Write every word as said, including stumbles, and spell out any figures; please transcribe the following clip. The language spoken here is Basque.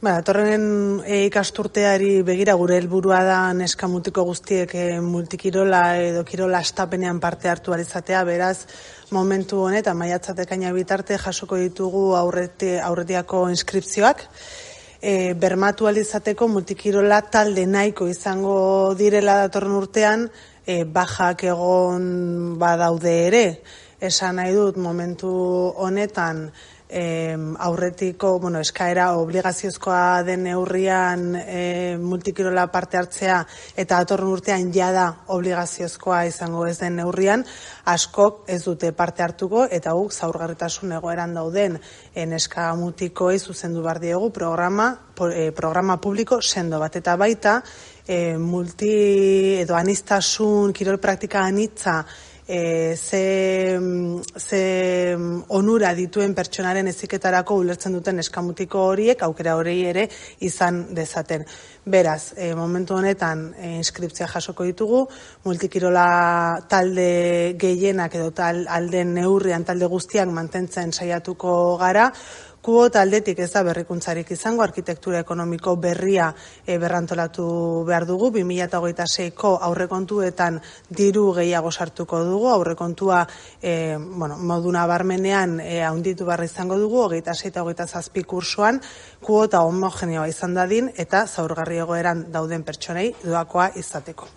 Ba, datorren e, ikasturteari begira gure helburua da neska mutiko guztiek e, multikirola edo kirola astapenean parte hartu ahal izatea, beraz momentu honetan maiatzak ekaina bitarte jasoko ditugu aurreti, aurretiako inskripzioak. E, bermatu ahal izateko multikirola talde nahiko izango direla datorren urtean, e, bajak egon badaude ere. Esan nahi dut momentu honetan E, aurretiko, bueno, eskaera obligaziozkoa den neurrian e, multikirola parte hartzea eta datorren urtean jada obligaziozkoa izango ez den neurrian, askok ez dute parte hartuko eta guk zaurgarritasun egoeran dauden e, neska mutikoei zuzendu behar diegu programa, e, programa publiko sendo bat eta baita e, multi edo anistasun kirol praktika anitza E, ze, ze onura dituen pertsonaren heziketarako ulertzen duten eskamutiko horiek aukera hori ere izan dezaten. Beraz, e, momentu honetan e, inskriptzia jasoko ditugu, multikirola talde gehienak edo tal, alden neurrian talde guztiak mantentzen saiatuko gara. Kuota aldetik ez da berrikuntzarik izango, arkitektura ekonomiko berria e, berrantolatu behar dugu, bi mila hogeita seiko aurrekontuetan diru gehiago sartuko dugu, aurrekontua e, bueno, modu nabarmenean e, handitu behar izango dugu, hogeita sei eta hogeita zazpi kursoan, kuota homogeneoa izan dadin eta zaurgarri egoeran dauden pertsonei doakoa izateko.